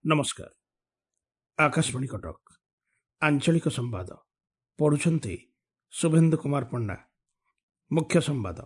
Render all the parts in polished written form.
ନମସ୍କାର, ଆକାଶବାଣୀ କଟକ, ଆଞ୍ଚଳିକ ସମ୍ବାଦ ପଢ଼ୁଛନ୍ତି ଶୁଭେନ୍ଦୁ କୁମାର ପଣ୍ଡା। ମୁଖ୍ୟ ସମ୍ବାଦ।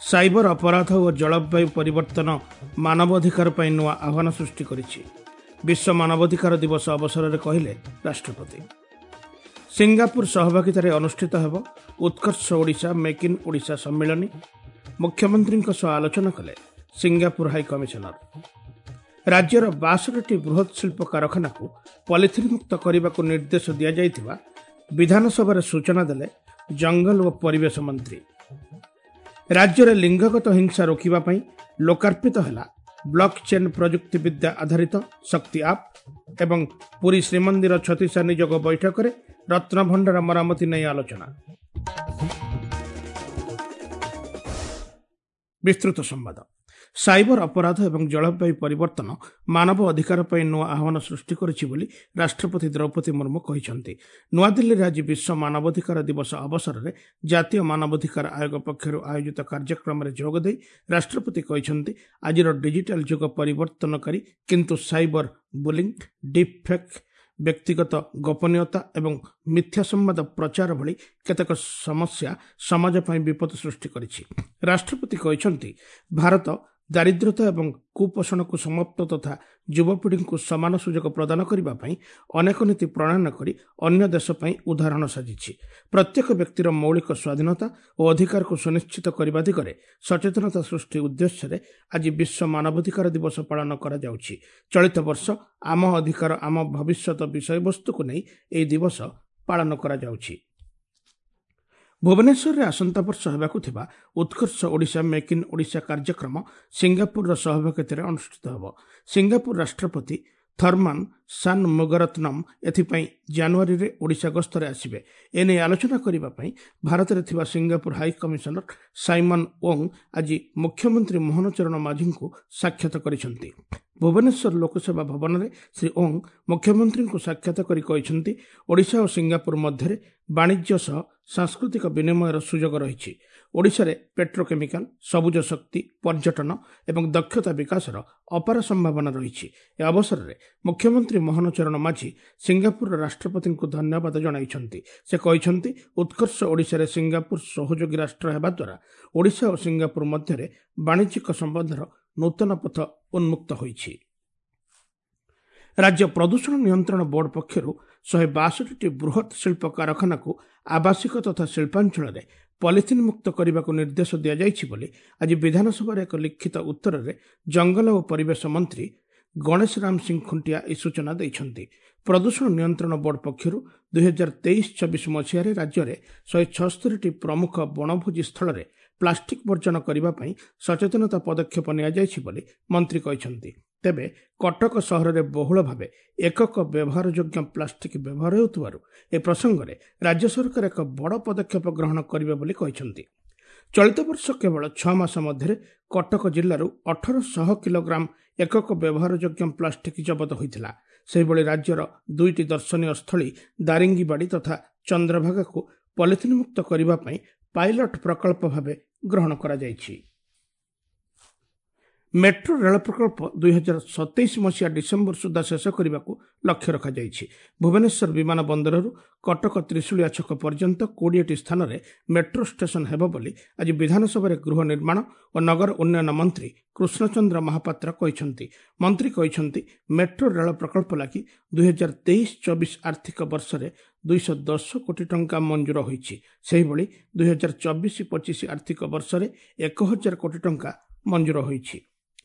ସାଇବର ଅପରାଧ ଓ ଜଳବାୟୁ ପରିବର୍ତ୍ତନ ମାନବାଧିକାର ପାଇଁ ନୂଆ ଆହ୍ୱାନ ସୃଷ୍ଟି କରିଛି, ବିଶ୍ୱ ମାନବାଧିକାର ଦିବସ ଅବସରରେ କହିଲେ ରାଷ୍ଟ୍ରପତି। ସିଙ୍ଗାପୁର ସହଭାଗିତାରେ ଅନୁଷ୍ଠିତ ହେବ ଉତ୍କର୍ଷ ଓଡ଼ିଶା ମେକ୍ ଇନ୍ ଓଡ଼ିଶା ସମ୍ମିଳନୀ, ମୁଖ୍ୟମନ୍ତ୍ରୀଙ୍କ ସହ ଆଲୋଚନା କଲେ ସିଙ୍ଗାପୁର ହାଇ କମିଶନର। ରାଜ୍ୟର 62ଟି ବୃହତ୍ ଶିଳ୍ପ କାରଖାନାକୁ ପଲିଥିନ୍ ମୁକ୍ତ କରିବାକୁ ନିର୍ଦ୍ଦେଶ ଦିଆଯାଇଥିବା ବିଧାନସଭାରେ ସୂଚନା ଦେଲେ ଜଙ୍ଗଲ ଓ ପରିବେଶ ମନ୍ତ୍ରୀ। ରାଜ୍ୟରେ ଲିଙ୍ଗଗତ ହିଂସା ରୋକିବା ପାଇଁ ଲୋକାର୍ପିତ ହେଲା ବ୍ଲକ୍ ଚେନ୍ ପ୍ରଯୁକ୍ତିବିଦ୍ୟା ଆଧାରିତ ଶକ୍ତି ଆପ୍ ଏବଂ ପୁରୀ ଶ୍ରୀମନ୍ଦିର ଛତିଶା ନିଯୋଗ ବୈଠକରେ ରତ୍ନଭଣ୍ଡାର ମରାମତି ନେଇ ଆଲୋଚନା। ବିସ୍ତୃତ ସମ୍ବାଦ। ସାଇବର ଅପରାଧ ଏବଂ ଜଳବାୟୁ ପରିବର୍ତ୍ତନ ମାନବ ଅଧିକାର ପାଇଁ ନୂଆ ଆହ୍ୱାନ ସୃଷ୍ଟି କରିଛି ବୋଲି ରାଷ୍ଟ୍ରପତି ଦ୍ରୌପଦୀ ମୁର୍ମୁ କହିଛନ୍ତି। ନୂଆଦିଲ୍ଲୀରେ ଆଜି ବିଶ୍ୱ ମାନବାଧିକାର ଦିବସ ଅବସରରେ ଜାତୀୟ ମାନବାଧିକାର ଆୟୋଗ ପକ୍ଷରୁ ଆୟୋଜିତ କାର୍ଯ୍ୟକ୍ରମରେ ଯୋଗଦେଇ ରାଷ୍ଟ୍ରପତି କହିଛନ୍ତି, ଆଜିର ଡିଜିଟାଲ ଯୁଗ ପରିବର୍ତ୍ତନକାରୀ, କିନ୍ତୁ ସାଇବର ବୁଲିଂ, ଡିପ୍ ଫେକ୍, ବ୍ୟକ୍ତିଗତ ଗୋପନୀୟତା ଏବଂ ମିଥ୍ୟା ସମ୍ବାଦ ପ୍ରଚାର ଭଳି କେତେକ ସମସ୍ୟା ସମାଜ ପାଇଁ ବିପଦ ସୃଷ୍ଟି କରିଛି। ରାଷ୍ଟ୍ରପତି କହିଛନ୍ତି, ଭାରତ ଦାରିଦ୍ର୍ୟତା ଏବଂ କୁପୋଷଣକୁ ସମାପ୍ତ ତଥା ଯୁବପିଢ଼ିଙ୍କୁ ସମାନ ସୁଯୋଗ ପ୍ରଦାନ କରିବା ପାଇଁ ଅନେକ ନୀତି ପ୍ରଣୟନ କରି ଅନ୍ୟ ଦେଶ ପାଇଁ ଉଦାହରଣ ସାଜିଛି। ପ୍ରତ୍ୟେକ ବ୍ୟକ୍ତିର ମୌଳିକ ସ୍ୱାଧୀନତା ଓ ଅଧିକାରକୁ ସୁନିଶ୍ଚିତ କରିବା ଦିଗରେ ସଚେତନତା ସୃଷ୍ଟି ଉଦ୍ଦେଶ୍ୟରେ ଆଜି ବିଶ୍ୱ ମାନବାଧିକାର ଦିବସ ପାଳନ କରାଯାଉଛି। ଚଳିତ ବର୍ଷ ଆମ ଅଧିକାର ଆମ ଭବିଷ୍ୟତ ବିଷୟବସ୍ତୁକୁ ନେଇ ଏହି ଦିବସ ପାଳନ କରାଯାଉଛି। ଭୁବନେଶ୍ୱରରେ ଆସନ୍ତା ବର୍ଷ ହେବାକୁ ଥିବା ଉତ୍କର୍ଷ ଓଡ଼ିଶା ମେକ୍ ଇନ୍ ଓଡ଼ିଶା କାର୍ଯ୍ୟକ୍ରମ ସିଙ୍ଗାପୁରର ସହଭାଗିତାରେ ଅନୁଷ୍ଠିତ ହେବ। ସିଙ୍ଗାପୁର ରାଷ୍ଟ୍ରପତି ଥର୍ମାନ ସାନମୁଗରତ୍ନମ୍ ଏଥିପାଇଁ ଜାନୁଆରୀରେ ଓଡ଼ିଶା ଗସ୍ତରେ ଆସିବେ। ଏନେଇ ଆଲୋଚନା କରିବା ପାଇଁ ଭାରତରେ ଥିବା Singapore high commissioner Simon Wong ଆଜି ମୁଖ୍ୟମନ୍ତ୍ରୀ ମୋହନ ଚରଣ ମାଝୀଙ୍କୁ ସାକ୍ଷାତ କରିଛନ୍ତି। ଭୁବନେଶ୍ୱର ଲୋକସେବା ଭବନରେ ଶ୍ରୀ ଓଙ୍ଗ ମୁଖ୍ୟମନ୍ତ୍ରୀଙ୍କୁ ସାକ୍ଷାତ କରି କହିଛନ୍ତି, ଓଡ଼ିଶା ଓ ସିଙ୍ଗାପୁର ମଧ୍ୟରେ ବାଣିଜ୍ୟ ସହ ସାଂସ୍କୃତିକ ବିନିମୟର ସୁଯୋଗ ରହିଛି। ଓଡ଼ିଶାରେ ପେଟ୍ରୋକେମିକାଲ, ସବୁଜ ଶକ୍ତି, ପର୍ଯ୍ୟଟନ ଏବଂ ଦକ୍ଷତା ବିକାଶର ଅପାର ସମ୍ଭାବନା ରହିଛି। ଏ ଅବସରରେ ମୁଖ୍ୟମନ୍ତ୍ରୀ ମୋହନ ଚରଣ ମାଝୀ ସିଙ୍ଗାପୁରର ରାଷ୍ଟ୍ରପତିଙ୍କୁ ଧନ୍ୟବାଦ ଜଣାଇଛନ୍ତି। ସେ କହିଛନ୍ତି, ଉତ୍କର୍ଷ ଓଡ଼ିଶାରେ ସିଙ୍ଗାପୁର ସହଯୋଗୀ ରାଷ୍ଟ୍ର ହେବା ଦ୍ୱାରା ଓଡ଼ିଶା ଓ ସିଙ୍ଗାପୁର ମଧ୍ୟରେ ବାଣିଜ୍ୟିକ ସମ୍ବନ୍ଧର ନୂତନ ପଥ ଉନ୍ମୁକ୍ତ ହୋଇଛି। ରାଜ୍ୟ ପ୍ରଦୂଷଣ ନିୟନ୍ତ୍ରଣ ବୋର୍ଡ ପକ୍ଷରୁ 162ଟି ବୃହତ୍ ଶିଳ୍ପ କାରଖାନାକୁ ଆବାସିକ ତଥା ଶିଳ୍ପାଞ୍ଚଳରେ ପଲିଥିନ୍ ମୁକ୍ତ କରିବାକୁ ନିର୍ଦ୍ଦେଶ ଦିଆଯାଇଛି ବୋଲି ଆଜି ବିଧାନସଭାରେ ଏକ ଲିଖିତ ଉତ୍ତରରେ ଜଙ୍ଗଲ ଓ ପରିବେଶ ମନ୍ତ୍ରୀ ଗଣେଶ ରାମ ସିଂ ଖୁଣ୍ଟିଆ ଏହି ସୂଚନା ଦେଇଛନ୍ତି। ପ୍ରଦୂଷଣ ନିୟନ୍ତ୍ରଣ ବୋର୍ଡ ପକ୍ଷରୁ 2023-24 ମସିହାରେ ରାଜ୍ୟରେ 176ଟି ପ୍ରମୁଖ ବଣଭୋଜି ସ୍ଥଳରେ ପ୍ଲାଷ୍ଟିକ୍ ବର୍ଜନ କରିବା ପାଇଁ ସଚେତନତା ପଦକ୍ଷେପ ନିଆଯାଇଛି ବୋଲି ମନ୍ତ୍ରୀ କହିଛନ୍ତି। ତେବେ କଟକ ସହରରେ ବହୁଳ ଭାବେ ଏକକ ବ୍ୟବହାରଯୋଗ୍ୟ ପ୍ଲାଷ୍ଟିକ୍ ବ୍ୟବହାର ହେଉଥିବାରୁ ଏ ପ୍ରସଙ୍ଗରେ ରାଜ୍ୟ ସରକାର ଏକ ବଡ଼ ପଦକ୍ଷେପ ଗ୍ରହଣ କରିବେ ବୋଲି କହିଛନ୍ତି। ଚଳିତ ବର୍ଷ କେବଳ 6 ମାସ ମଧ୍ୟରେ କଟକ ଜିଲ୍ଲାରୁ 1800 କିଲୋଗ୍ରାମ ଏକକ ବ୍ୟବହାରଯୋଗ୍ୟ ପ୍ଲାଷ୍ଟିକ୍ ଜବତ ହୋଇଥିଲା। ସେହିଭଳି ରାଜ୍ୟର 2ଟି ଦର୍ଶନୀୟ ସ୍ଥଳୀ ଦାରିଙ୍ଗିବାଡ଼ି ତଥା ଚନ୍ଦ୍ରଭାଗାକୁ ପଲିଥିନ୍ ମୁକ୍ତ କରିବା ପାଇଁ ପାଇଲଟ ପ୍ରକଳ୍ପ ଭାବେ ଗ୍ରହଣ କରାଯାଇଛି। ମେଟ୍ରୋ ରେଳ ପ୍ରକଳ୍ପ 2027 ମସିହା ଡିସେମ୍ବର ସୁଦ୍ଧା ଶେଷ କରିବାକୁ ଲକ୍ଷ୍ୟ ରଖାଯାଇଛି। ଭୁବନେଶ୍ୱର ବିମାନ ବନ୍ଦରରୁ କଟକ ତ୍ରିଶୁଳିଆ ଛକ ପର୍ଯ୍ୟନ୍ତ 20ଟି ସ୍ଥାନରେ ମେଟ୍ରୋ ଷ୍ଟେସନ ହେବ ବୋଲି ଆଜି ବିଧାନସଭାରେ ଗୃହ ନିର୍ମାଣ ଓ ନଗର ଉନ୍ନୟନ ମନ୍ତ୍ରୀ କୃଷ୍ଣଚନ୍ଦ୍ର ମହାପାତ୍ର କହିଛନ୍ତି। ମନ୍ତ୍ରୀ କହିଛନ୍ତି, ମେଟ୍ରୋ ରେଳ ପ୍ରକଳ୍ପ ଲାଗି 2023-24 ଆର୍ଥିକ ବର୍ଷରେ 210 କୋଟି ଟଙ୍କା ମଞ୍ଜୁର ହୋଇଛି। ସେହିଭଳି 2024-25 ଆର୍ଥିକ ବର୍ଷରେ 1000 କୋଟି ଟଙ୍କା ମଞ୍ଜୁର ହୋଇଛି।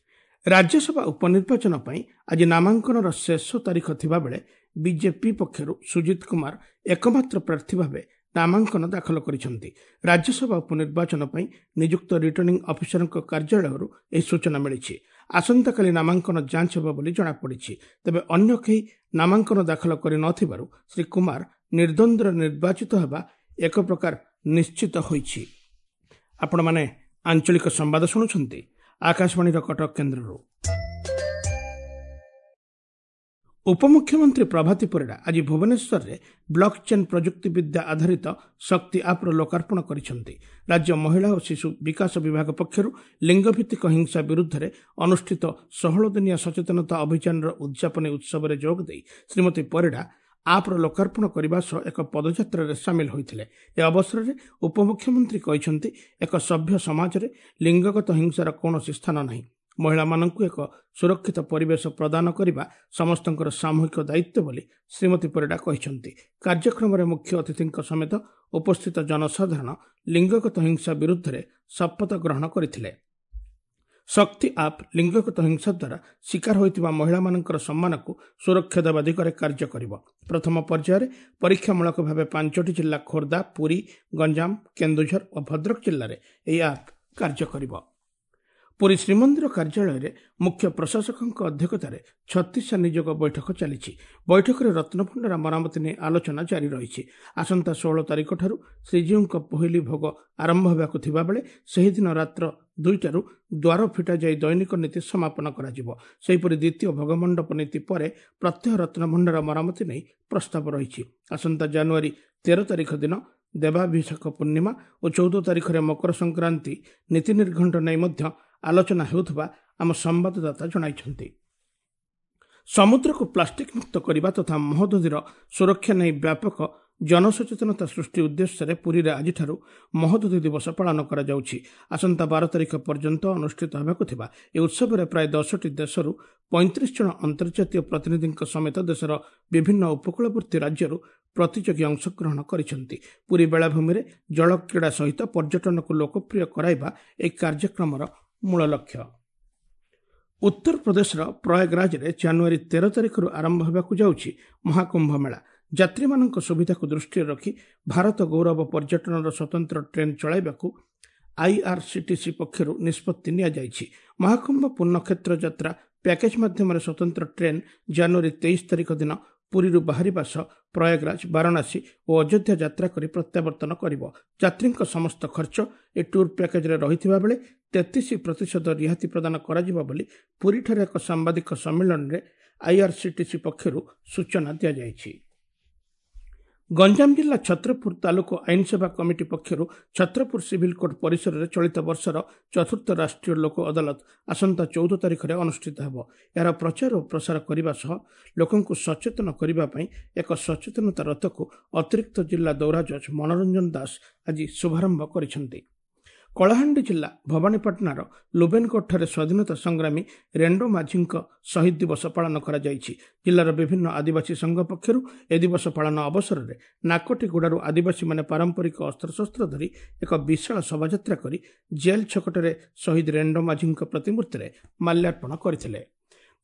ରାଜ୍ୟସଭା ଉପନିର୍ବାଚନ ପାଇଁ ଆଜି ନାମାଙ୍କନର ଶେଷ ତାରିଖ ଥିବାବେଳେ ବିଜେପି ପକ୍ଷରୁ ସୁଜିତ କୁମାର ଏକମାତ୍ର ପ୍ରାର୍ଥୀ ଭାବେ ନାମାଙ୍କନ ଦାଖଲ କରିଛନ୍ତି। ରାଜ୍ୟସଭା ଉପନିର୍ବାଚନ ପାଇଁ ନିଯୁକ୍ତ ରିଟର୍ଣ୍ଣିଂ ଅଫିସରଙ୍କ କାର୍ଯ୍ୟାଳୟରୁ ଏହି ସୂଚନା ମିଳିଛି। ଆସନ୍ତାକାଲି ନାମାଙ୍କନ ଯାଞ୍ଚ ହେବ ବୋଲି ଜଣାପଡ଼ିଛି। ତେବେ ଅନ୍ୟ କେହି ନାମାଙ୍କନ ଦାଖଲ କରିନଥିବାରୁ ଶ୍ରୀ କୁମାର ନିର୍ଦ୍ୱନ୍ଦ୍ୱରେ ନିର୍ବାଚିତ ହେବା ଏକ ପ୍ରକାର ନିଶ୍ଚିତ ହୋଇଛି। ଆପଣମାନେ ଆଞ୍ଚଳିକ ସମ୍ବାଦ ଶୁଣୁଛନ୍ତି ଆକାଶବାଣୀର କଟକ କେନ୍ଦ୍ରରୁ। ଉପମୁଖ୍ୟମନ୍ତ୍ରୀ ପ୍ରଭାତୀ ପରିଡ଼ା ଆଜି ଭୁବନେଶ୍ୱରରେ ବ୍ଲକ୍ ଚେନ୍ ପ୍ରଯୁକ୍ତିବିଦ୍ୟା ଆଧାରିତ ଶକ୍ତି ଆପ୍ର ଲୋକାର୍ପଣ କରିଛନ୍ତି। ରାଜ୍ୟ ମହିଳା ଓ ଶିଶୁ ବିକାଶ ବିଭାଗ ପକ୍ଷରୁ ଲିଙ୍ଗଭିତ୍ତିକ ହିଂସା ବିରୁଦ୍ଧରେ ଅନୁଷ୍ଠିତ 16 ଦିନିଆ ସଚେତନତା ଅଭିଯାନର ଉଦ୍ଯାପନୀ ଉତ୍ସବରେ ଯୋଗଦେଇ ଶ୍ରୀମତୀ ପରିଡ଼ା ଆପ୍ର ଲୋକାର୍ପଣ କରିବା ସହ ଏକ ପଦଯାତ୍ରାରେ ସାମିଲ ହୋଇଥିଲେ। ଏ ଅବସରରେ ଉପମୁଖ୍ୟମନ୍ତ୍ରୀ କହିଛନ୍ତି, ଏକ ସଭ୍ୟ ସମାଜରେ ଲିଙ୍ଗଗତ ହିଂସାର କୌଣସି ସ୍ଥାନ ନାହିଁ। ମହିଳାମାନଙ୍କୁ ଏକ ସୁରକ୍ଷିତ ପରିବେଶ ପ୍ରଦାନ କରିବା ସମସ୍ତଙ୍କର ସାମୂହିକ ଦାୟିତ୍ୱ ବୋଲି ଶ୍ରୀମତୀ ପରିଡ଼ା କହିଛନ୍ତି। କାର୍ଯ୍ୟକ୍ରମରେ ମୁଖ୍ୟ ଅତିଥିଙ୍କ ସମେତ ଉପସ୍ଥିତ ଜନସାଧାରଣ ଲିଙ୍ଗଗତ ହିଂସା ବିରୁଦ୍ଧରେ ଶପଥ ଗ୍ରହଣ କରିଥିଲେ। ଶକ୍ତି ଆପ୍ ଲିଙ୍ଗଗତ ହିଂସା ଦ୍ୱାରା ଶିକାର ହୋଇଥିବା ମହିଳାମାନଙ୍କର ସମ୍ମାନକୁ ସୁରକ୍ଷା ଦେବା ଦିଗରେ କାର୍ଯ୍ୟ କରିବ। ପ୍ରଥମ ପର୍ଯ୍ୟାୟରେ ପରୀକ୍ଷାମୂଳକ ଭାବେ 5ଟି ଜିଲ୍ଲା ଖୋର୍ଦ୍ଧା, ପୁରୀ, ଗଞ୍ଜାମ, କେନ୍ଦୁଝର ଓ ଭଦ୍ରକ ଜିଲ୍ଲାରେ ଏହି ଆପ୍ କାର୍ଯ୍ୟ କରିବ। ପୁରୀ ଶ୍ରୀମନ୍ଦିର କାର୍ଯ୍ୟାଳୟରେ ମୁଖ୍ୟ ପ୍ରଶାସକଙ୍କ ଅଧ୍ୟକ୍ଷତାରେ 36 ନିଯୋଗ ବୈଠକ ଚାଲିଛି। ବୈଠକରେ ରତ୍ନଭଣ୍ଡାର ମରାମତି ନେଇ ଆଲୋଚନା ଜାରି ରହିଛି। ଆସନ୍ତା 16 ତାରିଖଠାରୁ ଶ୍ରୀଜୀଉଙ୍କ ପହିଲି ଭୋଗ ଆରମ୍ଭ ହେବାକୁ ଥିବାବେଳେ ସେହିଦିନ ରାତ୍ର 2ଟାରୁ ଦ୍ୱାର ଫିଟାଯାଇ ଦୈନିକ ନୀତି ସମାପନ କରାଯିବ। ସେହିପରି ଦ୍ୱିତୀୟ ଭୋଗମଣ୍ଡପ ନୀତି ପରେ ପ୍ରତ୍ୟହ ରତ୍ନଭଣ୍ଡାର ମରାମତି ନେଇ ପ୍ରସ୍ତାବ ରହିଛି। ଆସନ୍ତା ଜାନୁଆରୀ 13 ତାରିଖ ଦିନ ଦେବାଭିଷେକ ପୂର୍ଣ୍ଣିମା ଓ 14 ତାରିଖରେ ମକର ସଂକ୍ରାନ୍ତି ନୀତି ନିର୍ଘଣ୍ଟ ନେଇ ମଧ୍ୟ ଆଲୋଚନା ହେଉଥିବା ଆମ ସମ୍ବାଦଦାତା ଜଣାଇଛନ୍ତି। ସମୁଦ୍ରକୁ ପ୍ଲାଷ୍ଟିକ୍ ମୁକ୍ତ କରିବା ତଥା ମହୋଦଧିର ସୁରକ୍ଷା ନେଇ ବ୍ୟାପକ ଜନସଚେତନତା ସୃଷ୍ଟି ଉଦ୍ଦେଶ୍ୟରେ ପୁରୀରେ ଆଜିଠାରୁ ମହୋଦଧି ଦିବସ ପାଳନ କରାଯାଉଛି। ଆସନ୍ତା 12 ତାରିଖ ପର୍ଯ୍ୟନ୍ତ ଅନୁଷ୍ଠିତ ହେବାକୁ ଥିବା ଏହି ଉତ୍ସବରେ ପ୍ରାୟ 10ଟି ଦେଶରୁ 35 ଜଣ ଅନ୍ତର୍ଜାତୀୟ ପ୍ରତିନିଧିଙ୍କ ସମେତ ଦେଶର ବିଭିନ୍ନ ଉପକୂଳବର୍ତ୍ତୀ ରାଜ୍ୟରୁ ପ୍ରତିଯୋଗୀ ଅଂଶଗ୍ରହଣ କରିଛନ୍ତି। ପୁରୀ ବେଳାଭୂମିରେ ଜଳକ୍ରୀଡ଼ା ସହିତ ପର୍ଯ୍ୟଟନକୁ ଲୋକପ୍ରିୟ କରାଇବା ଏହି କାର୍ଯ୍ୟକ୍ରମର ମୂଳ ଲକ୍ଷ୍ୟ। ଉତ୍ତରପ୍ରଦେଶର ପ୍ରୟାଗରାଜରେ ଜାନୁଆରୀ 13 ତାରିଖରୁ ଆରମ୍ଭ ହେବାକୁ ଯାଉଛି ମହାକୁମ୍ଭ ମେଳା। ଯାତ୍ରୀମାନଙ୍କ ସୁବିଧାକୁ ଦୃଷ୍ଟିରେ ରଖି ଭାରତ ଗୌରବ ପର୍ଯ୍ୟଟନର ସ୍ୱତନ୍ତ୍ର ଟ୍ରେନ୍ ଚଳାଇବାକୁ ଆଇଆର୍ସିଟିସି ପକ୍ଷରୁ ନିଷ୍ପତ୍ତି ନିଆଯାଇଛି। ମହାକୁମ୍ଭ ପୂର୍ଣ୍ଣକ୍ଷେତ୍ର ଯାତ୍ରା ପ୍ୟାକେଜ୍ ମାଧ୍ୟମରେ ସ୍ୱତନ୍ତ୍ର ଟ୍ରେନ୍ ଜାନୁଆରୀ 23 ତାରିଖ ଦିନ ପୁରୀରୁ ବାହାରିବା ସହ ପ୍ରୟାଗରାଜ, ବାରାଣସୀ ଓ ଅଯୋଧ୍ୟା ଯାତ୍ରା କରି ପ୍ରତ୍ୟାବର୍ତ୍ତନ କରିବ। ଯାତ୍ରୀଙ୍କ ସମସ୍ତ ଖର୍ଚ୍ଚ ଏ ଟୁର୍ ପ୍ୟାକେଜ୍ରେ ରହିଥିବା ବେଳେ 33% ରିହାତି ପ୍ରଦାନ କରାଯିବ ବୋଲି ପୁରୀଠାରେ ଏକ ସାମ୍ବାଦିକ ସମ୍ମିଳନୀରେ ଆଇଆର୍ସିଟିସି ପକ୍ଷରୁ ସୂଚନା ଦିଆଯାଇଛି। ଗଞ୍ଜାମ ଜିଲ୍ଲା ଛତ୍ରପୁର ତାଲୁକ ଆଇନସେବା କମିଟି ପକ୍ଷରୁ ଛତ୍ରପୁର ସିଭିଲ କୋର୍ଟ ପରିସରରେ ଚଳିତ ବର୍ଷର ଚତୁର୍ଥ ରାଷ୍ଟ୍ରୀୟ ଲୋକ ଅଦାଲତ ଆସନ୍ତା 14 ତାରିଖରେ ଅନୁଷ୍ଠିତ ହେବ। ଏହାର ପ୍ରଚାର ଓ ପ୍ରସାର କରିବା ସହ ଲୋକଙ୍କୁ ସଚେତନ କରିବା ପାଇଁ ଏକ ସଚେତନତା ରଥକୁ ଅତିରିକ୍ତ ଜିଲ୍ଲା ଦୌରା ଜଜ୍ ମନୋରଞ୍ଜନ ଦାସ ଆଜି ଶୁଭାରମ୍ଭ କରିଛନ୍ତି। କଳାହାଣ୍ଡି ଜିଲ୍ଲା ଭବାନୀପାଟଣାର ଲୁବେନଗଡ଼ଠାରେ ସ୍ୱାଧୀନତା ସଂଗ୍ରାମୀ ରେଣ୍ଡୋ ମାଝୀଙ୍କ ଶହୀଦ ଦିବସ ପାଳନ କରାଯାଇଛି। ଜିଲ୍ଲାର ବିଭିନ୍ନ ଆଦିବାସୀ ସଂଘ ପକ୍ଷରୁ ଏ ଦିବସ ପାଳନ ଅବସରରେ ନାକଟିଗୁଡ଼ାରୁ ଆଦିବାସୀମାନେ ପାରମ୍ପରିକ ଅସ୍ତ୍ରଶସ୍ତ୍ର ଧରି ଏକ ବିଶାଳ ଶୋଭାଯାତ୍ରା କରି ଜେଲ୍ ଛକଠାରେ ଶହୀଦ ରେଣ୍ଡୋ ମାଝୀଙ୍କ ପ୍ରତିମୂର୍ତ୍ତିରେ ମାଲ୍ୟାର୍ପଣ କରିଥିଲେ।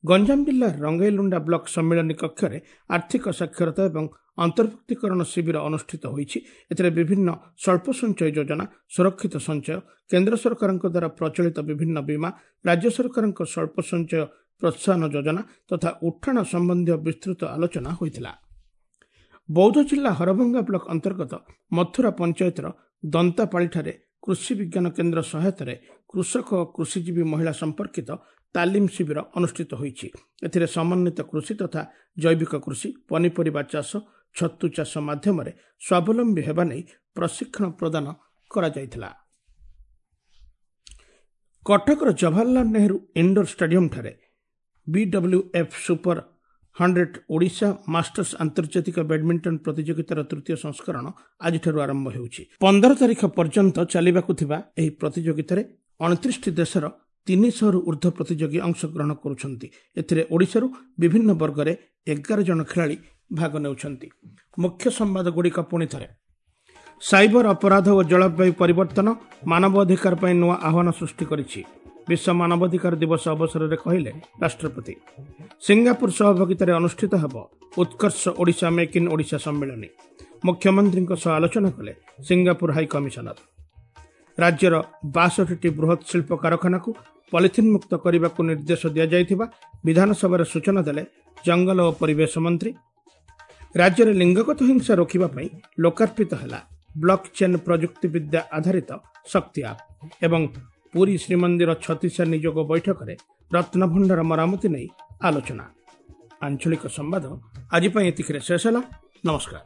ଗଞ୍ଜାମ ଜିଲ୍ଲା ରଙ୍ଗେଇଲୁଣ୍ଡା ବ୍ଲକ ସମ୍ମିଳନୀ କକ୍ଷରେ ଆର୍ଥିକ ସାକ୍ଷରତା ଏବଂ ଅନ୍ତର୍ଭୁକ୍ତୀକରଣ ଶିବିର ଅନୁଷ୍ଠିତ ହୋଇଛି। ଏଥିରେ ବିଭିନ୍ନ ସ୍ୱଳ୍ପ ସଞ୍ଚୟ ଯୋଜନା, ସୁରକ୍ଷିତ ସଞ୍ଚୟ, କେନ୍ଦ୍ର ସରକାରଙ୍କ ଦ୍ୱାରା ପ୍ରଚଳିତ ବିଭିନ୍ନ ବୀମା, ରାଜ୍ୟ ସରକାରଙ୍କ ସ୍ୱଳ୍ପ ସଞ୍ଚୟ ପ୍ରୋତ୍ସାହନ ଯୋଜନା ତଥା ଉଠାଣ ସମ୍ବନ୍ଧୀୟ ବିସ୍ତୃତ ଆଲୋଚନା ହୋଇଥିଲା। ବୌଦ୍ଧ ଜିଲ୍ଲା ହରଭଙ୍ଗା ବ୍ଲକ ଅନ୍ତର୍ଗତ ମଥୁରା ପଞ୍ଚାୟତର ଦନ୍ତାପାଳିଠାରେ କୃଷି ବିଜ୍ଞାନ କେନ୍ଦ୍ର ସହାୟତାରେ କୃଷକ ଓ କୃଷିଜୀବୀ ମହିଳା ସମ୍ପର୍କିତ ତାଲିମ ଶିବିର ଅନୁଷ୍ଠିତ ହୋଇଛି। ଏଥିରେ ସମନ୍ୱିତ କୃଷି ତଥା ଜୈବିକ କୃଷି, ପନିପରିବା ଚାଷ, ଛତୁ ଚାଷ ମାଧ୍ୟମରେ ସ୍ୱାବଲମ୍ବୀ ହେବା ନେଇ ପ୍ରଶିକ୍ଷଣ ପ୍ରଦାନ କରାଯାଇଥିଲା। କଟକର ଜବାହରଲାଲ ନେହେରୁ ଇଣ୍ଡୋର ଷ୍ଟାଡିୟମଠାରେ ବିଡବ୍ଲ୍ୟୁଏଫ୍ ସୁପର 100 ଓଡ଼ିଶା ମାଷ୍ଟର୍ସ ଆନ୍ତର୍ଜାତିକ ବ୍ୟାଡମିଣ୍ଟନ ପ୍ରତିଯୋଗିତାର ତୃତୀୟ ସଂସ୍କରଣ ଆଜିଠାରୁ ଆରମ୍ଭ ହେଉଛି। 15 ତାରିଖ ପର୍ଯ୍ୟନ୍ତ ଚାଲିବାକୁ ଥିବା ଏହି ପ୍ରତିଯୋଗିତାରେ 29ଟି ଦେଶର 300ରୁ ଉର୍ଦ୍ଧ୍ୱ ପ୍ରତିଯୋଗୀ ଅଂଶଗ୍ରହଣ କରୁଛନ୍ତି। ଏଥିରେ ଓଡ଼ିଶାରୁ ବିଭିନ୍ନ ବର୍ଗରେ 11 ଜଣ ଖେଳାଳି ଭାଗ ନେଉଛନ୍ତି। ମୁଖ୍ୟ ସମ୍ବାଦଗୁଡ଼ିକ ପୁଣି ଥରେ। ସାଇବର ଅପରାଧ ଓ ଜଳବାୟୁ ପରିବର୍ତ୍ତନ ମାନବ ଅଧିକାର ପାଇଁ ନୂଆ ଆହ୍ୱାନ ସୃଷ୍ଟି କରିଛି, ବିଶ୍ୱ ମାନବାଧିକାର ଦିବସ ଅବସରରେ କହିଲେ ରାଷ୍ଟ୍ରପତି। ସିଙ୍ଗାପୁର ସହଭାଗିତାରେ ଅନୁଷ୍ଠିତ ହେବ ଉତ୍କର୍ଷ ଓଡ଼ିଶା ମେକ୍ ଇନ୍ ଓଡ଼ିଶା ସମ୍ମିଳନୀ। ମୁଖ୍ୟମନ୍ତ୍ରୀଙ୍କ ସହ ଆଲୋଚନା କଲେ ସିଙ୍ଗାପୁର ହାଇ କମିଶନର। ରାଜ୍ୟର 62ଟି ବୃହତ୍ ଶିଳ୍ପ କାରଖାନାକୁ ପଲିଥିନ୍ ମୁକ୍ତ କରିବାକୁ ନିର୍ଦ୍ଦେଶ ଦିଆଯାଇଥିବା ବିଧାନସଭାରେ ସୂଚନା ଦେଲେ ଜଙ୍ଗଲ ଓ ପରିବେଶ ମନ୍ତ୍ରୀ। ରାଜ୍ୟରେ ଲିଙ୍ଗଗତ ହିଂସା ରୋକିବା ପାଇଁ ଲୋକାର୍ପିତ ହେଲା ବ୍ଲକ୍ ଚେନ୍ ପ୍ରଯୁକ୍ତିବିଦ୍ୟା ଆଧାରିତ ଶକ୍ତି ଆପ୍। ଏବଂ ପୁରୀ ଶ୍ରୀମନ୍ଦିର ଛତିଶା ନିଯୋଗ ବୈଠକରେ ରତ୍ନଭଣ୍ଡାର ମରାମତି ନେଇ ଆଲୋଚନା। ଆଞ୍ଚଳିକ ସମ୍ବାଦ ଆଜି ପାଇଁ ଏତିକିରେ ଶେଷ ହେଲା। ନମସ୍କାର।